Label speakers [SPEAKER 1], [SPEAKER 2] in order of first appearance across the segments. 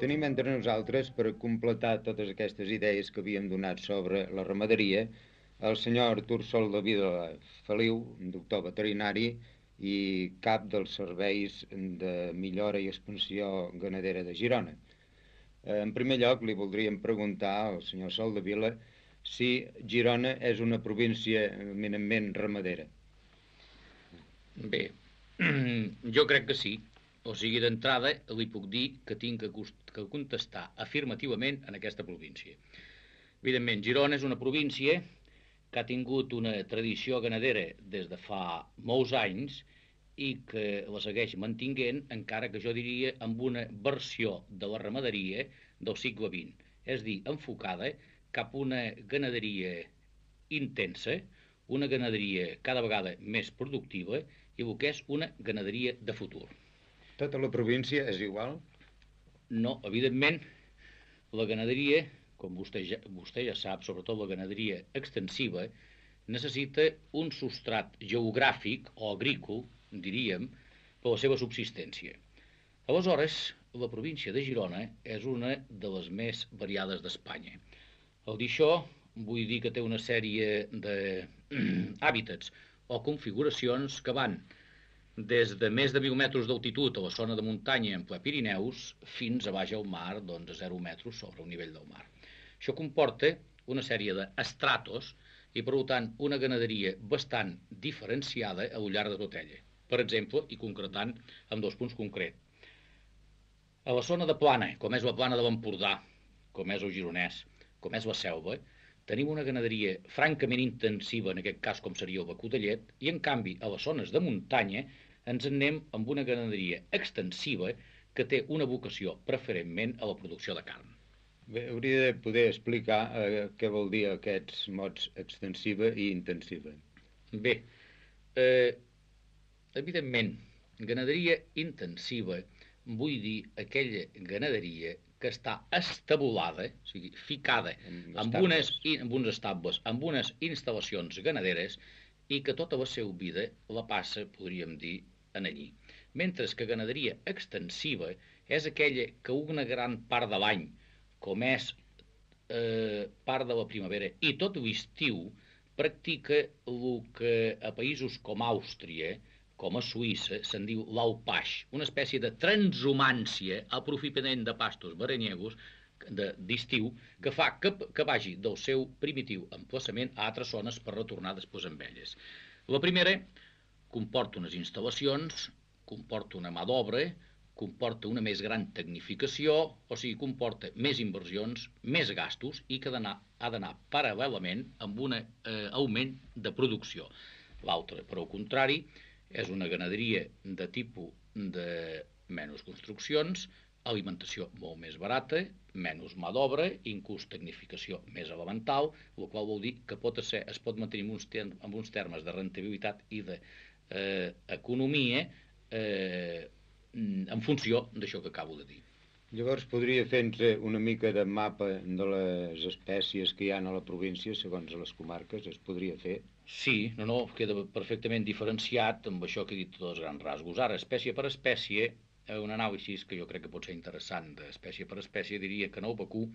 [SPEAKER 1] Tenim entre nosaltres, per completar totes aquestes idees que havíem donat sobre la ramaderia, el senyor Artur Soldevila Feliu, doctor veterinari i cap dels serveis de millora i expansió ganadera de Girona. En primer lloc, li voldríem preguntar al senyor Soldevila si Girona és una província eminentment ramadera.
[SPEAKER 2] Bé, jo crec que sí. O sigui, d'entrada li puc dir que tinc que contestar afirmativament en aquesta província. Evidentment, Girona és una província que ha tingut una tradició ganadera des de fa molts anys i que la segueix mantinguent, encara que jo diria amb una versió de la ramaderia del segle XX, és a dir, enfocada cap a una ganaderia intensa, una ganaderia cada vegada més productiva i el que és una ganaderia de futur.
[SPEAKER 1] Tota la província és igual?
[SPEAKER 2] No, evidentment, la ganaderia, com vostè ja sap, sobretot la ganaderia extensiva, necessita un substrat geogràfic o agrícola, diríem, per la seva subsistència. Aleshores, la província de Girona és una de les més variades d'Espanya. Al dir això, vull dir que té una sèrie d'hàbitats o configuracions que van des de més de 1.000 metres d'altitud a la zona de muntanya en ple Pirineus fins a baix al mar, doncs a 0 metres sobre el nivell del mar. Això comporta una sèrie d'estratos i, per tant, una ganaderia bastant diferenciada al llarg de tot ella. Per exemple, i concretant amb 2 punts concrets. A la zona de plana, com és la plana de l'Empordà, com és el Gironès, com és la Selva, tenim una ganaderia francament intensiva, en aquest cas com seria el vacú de llet, i en canvi a les zones de muntanya ens anem amb una ganaderia extensiva que té una vocació preferentment a la producció de carn.
[SPEAKER 1] Bé, hauria de poder explicar què vol dir aquests mots extensiva i intensiva.
[SPEAKER 2] Bé, evidentment, ganaderia intensiva vull dir aquella ganaderia que està estabulada, o sigui, ficada amb uns estables, amb unes instal·lacions ganaderes i que tota la seva vida la passa, podríem dir, en allí. Mentre que ganaderia extensiva és aquella que una gran part de l'any, com és part de la primavera i tot l'estiu, practica el que a països com Àustria, com a Suïssa, se'n diu l'alpaix, una espècie de transhumància, aprofitament de pastos veranyegos d'estiu, que fa que vagi del seu primitiu emplaçament a altres zones per retornar després amb elles. La primera comporta unes instal·lacions, comporta una mà d'obra, comporta una més gran tecnificació, o sigui, comporta més inversions, més gastos i que ha d'anar paral·lelament amb un augment de producció. L'altra, per al contrari, és una ganaderia de tipus de menys construccions, alimentació molt més barata, menys mà d'obra, inclús tecnificació més elemental, el qual vol dir que es pot mantenir amb uns termes de rentabilitat i d'economia en funció d'això que acabo de dir.
[SPEAKER 1] Llavors podria fer-nos una mica de mapa de les espècies que hi ha a la província segons les comarques, es podria fer?
[SPEAKER 2] Sí, queda perfectament diferenciat amb això que he dit tots els grans rasgos. Ara, espècie per espècie, un anàlisi que jo crec que pot ser interessant d'espècie per espècie diria que en el vacú,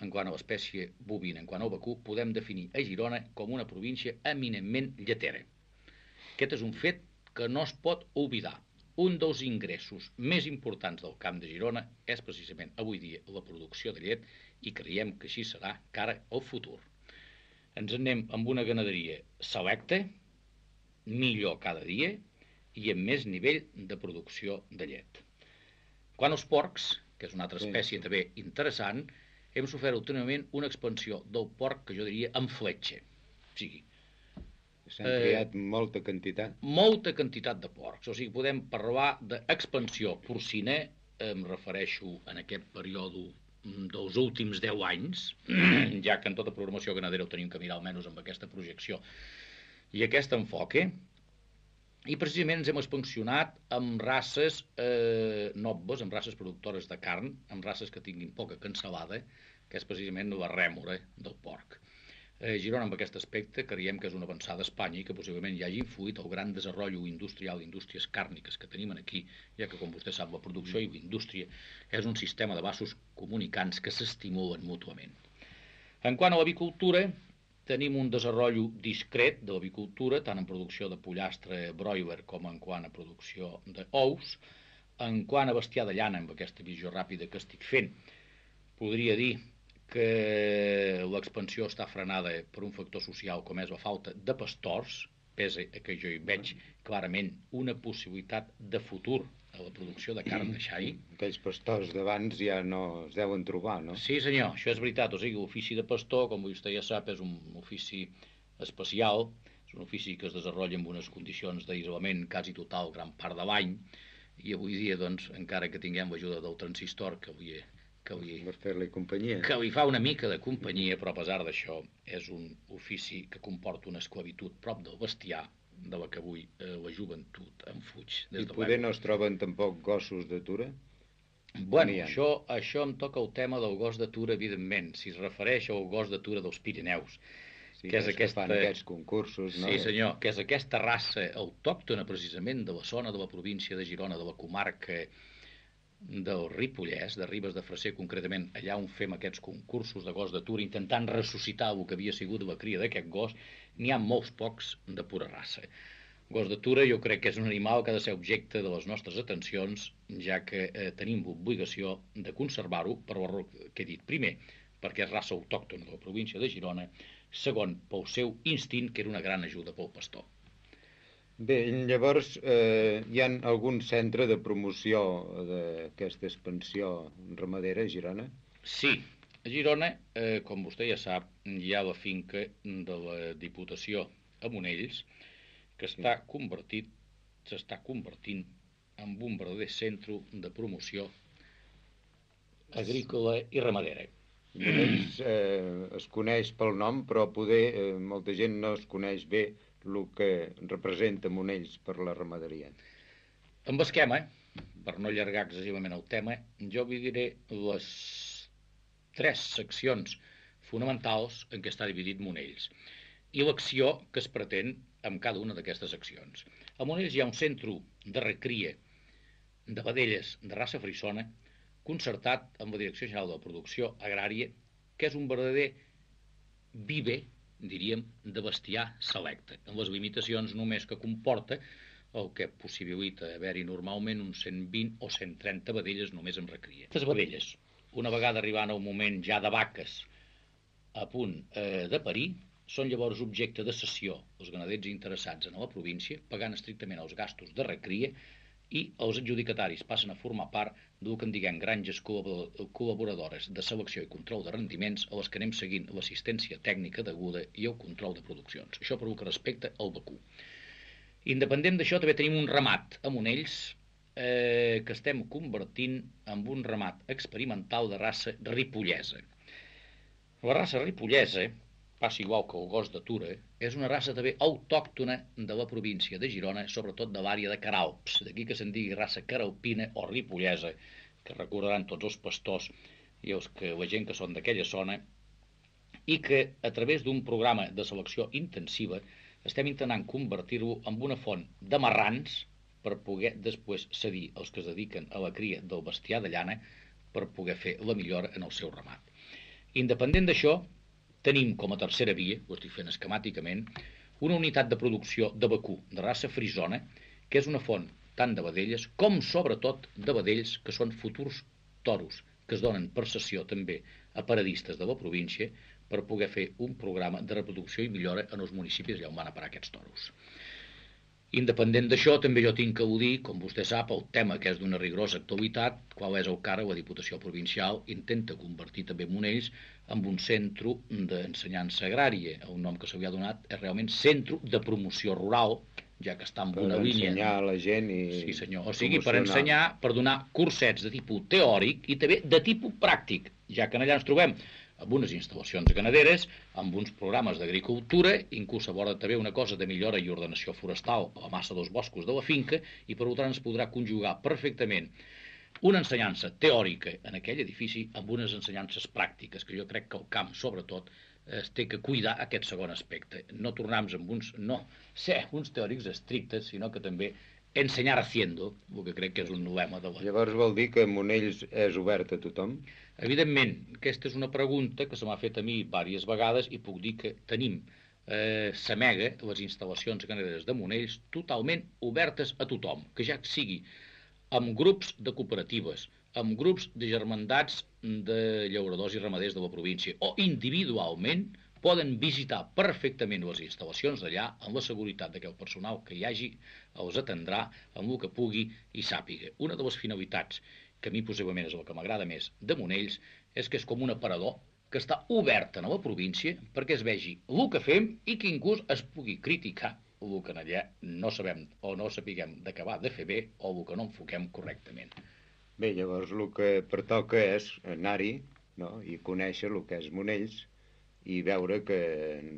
[SPEAKER 2] en quant a l'espècie bovina, en quant al vacú, podem definir a Girona com una província eminentment lletera. Aquest és un fet que no es pot oblidar. Un dels ingressos més importants del Camp de Girona és precisament avui dia la producció de llet i creiem que així serà cara al futur. Ens anem amb una ganaderia selecta, millor cada dia i amb més nivell de producció de llet. Quant als porcs, que és una altra espècie també interessant, hem sofert últimament una expansió del porc que jo diria en fletxa. O sigui,
[SPEAKER 1] s'han creat molta quantitat.
[SPEAKER 2] Molta quantitat de porcs. O sigui, podem parlar d'expansió porcina, em refereixo en aquest període dels últims 10 anys, ja que en tota programació ganadera ho tenim que mirar almenys amb aquesta projecció i aquest enfoque, i precisament ens hem expansionat amb races nobles, amb races productores de carn, amb races que tinguin poca cansalada, que és precisament la rèmora del porc. Girona, amb aquest aspecte, creiem que és una avançada a Espanya i que possiblement hi hagi influït el gran desenvolupament industrial d'indústries càrniques que tenim aquí, ja que, com vostè sap, la producció i la indústria és un sistema de vasos comunicants que s'estimulen mútuament. En quant a l'avicultura, tenim un desenvolupament discret de l'avicultura, tant en producció de pollastre broiler com en quant a producció d'ous. En quant a bestiar de llana, amb aquesta visió ràpida que estic fent, podria dir que l'expansió està frenada per un factor social com és la falta de pastors, pese a que jo hi veig clarament una possibilitat de futur a la producció de carn de xai.
[SPEAKER 1] Aquells pastors d'abans ja no es deuen trobar, no?
[SPEAKER 2] Sí, senyor, això és veritat. O sigui, l'ofici de pastor, com vostè ja sap, és un ofici especial, és un ofici que es desenvolupa en unes condicions d'aïllament quasi total gran part de l'any, i avui dia, doncs, encara que tinguem l'ajuda del transistor, que li fa una mica de companyia, però a pesar d'això és un ofici que comporta una esclavitud prop del bestiar, de la que avui la joventut en fuig.
[SPEAKER 1] I poder no es troben tampoc gossos d'atura?
[SPEAKER 2] Bueno, això em toca el tema del gos d'atura, evidentment, si es refereix al gos d'atura dels Pirineus,
[SPEAKER 1] sí, que és aquesta... fan aquests concursos, no?
[SPEAKER 2] Sí, senyor, que és aquesta raça autòctona precisament de la zona de la província de Girona, de la comarca del Ripollès, de Ribes de Freser concretament, allà on fem aquests concursos de gos d'atura intentant ressuscitar el que havia sigut la cria d'aquest gos, n'hi ha molts pocs de pura raça. Gos d'atura jo crec que és un animal que ha de ser objecte de les nostres atencions, ja que tenim l'obligació de conservar-ho per l'error que he dit. Primer, perquè és raça autòctona de la província de Girona, segon, pel seu instint, que era una gran ajuda pel pastor.
[SPEAKER 1] Bé, llavors hi ha algun centre de promoció d'aquesta expansió ramadera a Girona?
[SPEAKER 2] Sí, a Girona, com vostè ja sap, hi ha la finca de la Diputació a Monells, que s'està convertint en un verdader centre de promoció agrícola i ramadera.
[SPEAKER 1] Monells es coneix pel nom, però poder molta gent no es coneix bé el que representa Monells per la ramaderia.
[SPEAKER 2] Amb esquema, per no allargar excessivament el tema, jo vi diré les 3 seccions fonamentals en què està dividit Monells i l'acció que es pretén amb cada una d'aquestes seccions. A Monells hi ha un centre de recria de vedelles de raça frisona concertat amb la Direcció General de la Producció Agrària, que és un verdader viver, diríem, de bestiar selecte, amb les limitacions només que comporta el que possibilita haver-hi normalment uns 120 o 130 vedelles només en recria. Aquestes vedelles, una vegada arribant a un moment ja de vaques a punt de parir, són llavors objecte de cessió als ganaders interessats en la província, pagant estrictament els gastos de recria, i els adjudicataris passen a formar part del que en diguem granges col·laboradores de selecció i control de rendiments a les que anem seguint l'assistència tècnica deguda i el control de produccions. Això per el que respecta al vacú. Independent d'això, també tenim un ramat a Monells que estem convertint en un ramat experimental de raça ripollesa. La raça ripollesa, passa igual que el gos d'atura, és una raça també autòctona de la província de Girona, sobretot de l'àrea de Caralps, d'aquí que se'n digui raça caralpina o ripollesa, que recordaran tots els pastors i la gent que són d'aquella zona, i que a través d'un programa de selecció intensiva estem intentant convertir-lo en una font de marrans per poder després cedir els que es dediquen a la cria del bestiar de llana per poder fer la millora en el seu ramat. Independent d'això, tenim com a tercera via, ho estic fent esquemàticament, una unitat de producció de vacú de raça frisona, que és una font tant de vedelles com sobretot de vedells que són futurs toros, que es donen per cessió també a paradistes de la província per poder fer un programa de reproducció i millora en els municipis allà on van a parar aquests toros. Independent d'això, també jo tinc que dir, com vostè sap, el tema que és d'una rigorosa actualitat, qual és el que ara la Diputació Provincial intenta convertir també Monells en un centre d'ensenyança agrària. El nom que s'havia donat és realment Centre de Promoció Rural, ja que està en una línia...
[SPEAKER 1] Per ensenyar a la gent i...
[SPEAKER 2] Sí, senyor. O sigui, per ensenyar, per donar cursets de tipus teòric i també de tipus pràctic, ja que allà ens trobem amb unes instal·lacions ganaderes, amb uns programes d'agricultura, inclús aborda també una cosa de millora i ordenació forestal a la massa dels boscos de la finca, i per tant es podrà conjugar perfectament una ensenyança teòrica en aquell edifici amb unes ensenyances pràctiques, que jo crec que el camp, sobretot, es té que cuidar aquest segon aspecte. No tornar-nos amb no ser uns teòrics estrictes, sinó que també ensenyar haciendo, el que crec que és un lema de la...
[SPEAKER 1] Llavors vol dir que Monells és obert a tothom?
[SPEAKER 2] Evidentment, aquesta és una pregunta que se m'ha fet a mi diverses vegades i puc dir que tenim Samega, les instal·lacions ganaderes de Monells, totalment obertes a tothom, que ja sigui amb grups de cooperatives, amb grups de germandats de llauradors i ramaders de la província, o individualment poden visitar perfectament les instal·lacions d'allà amb la seguretat que el personal que hi hagi els atendrà amb el que pugui i sàpiga. Una de les finalitats que a mi possiblement és el que m'agrada més de Monells és que és com un aparador que està obert a la província perquè es vegi el que fem i que inclús es pugui criticar el que allà no sabem o no sapiguem d'acabar de fer bé o el que no enfoquem correctament.
[SPEAKER 1] Bé, llavors el que pertoca és anar-hi, no?, i conèixer el que és Monells i veure que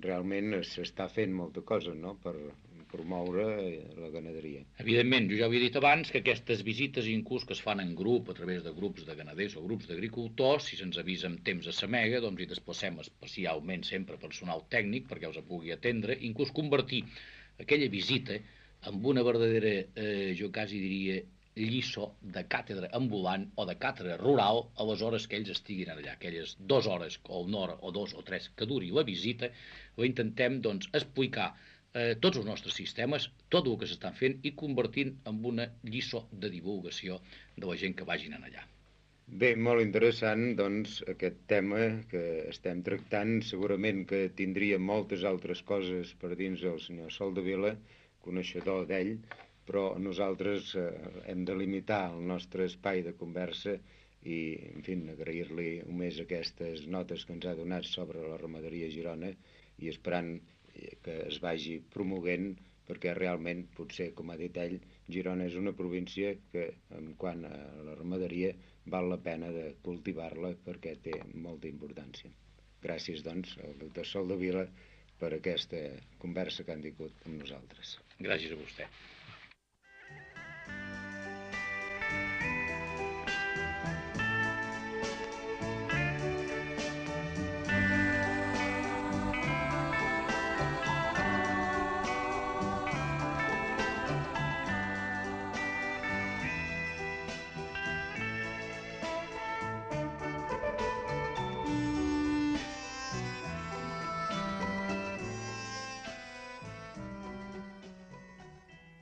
[SPEAKER 1] realment s'està fent molta cosa, no?, per promoure la ganaderia.
[SPEAKER 2] Evidentment, jo ja havia dit abans que aquestes visites inclús que es fan en grup, a través de grups de ganaders o grups d'agricultors, si se'ns avisa amb temps a Samega, doncs hi desplacem especialment sempre personal tècnic perquè els pugui atendre, inclús convertir aquella visita en una verdadera, jo quasi diria, lliçó de càtedra ambulant o de càtedra rural a les hores que ells estiguin allà. Aquelles 2 hores o 1 hora o 2 o 3 que duri la visita, la intentem doncs, explicar tots els nostres sistemes, tot el que s'estan fent i convertint en una lliçó de divulgació de la gent que vagin allà.
[SPEAKER 1] Bé, molt interessant, doncs, aquest tema que estem tractant. Segurament que tindria moltes altres coses per dins el senyor Soldevila, coneixedor d'ell, però nosaltres hem de limitar el nostre espai de conversa i, en fi, agrair-li més aquestes notes que ens ha donat sobre la ramaderia a Girona i esperant que es vagi promoguent perquè realment, potser, com ha dit ell, Girona és una província que, en quant a la ramaderia, val la pena de cultivar-la perquè té molta importància. Gràcies, doncs, al doctor Soldevila per aquesta conversa que han tingut amb nosaltres.
[SPEAKER 2] Gràcies a vostè.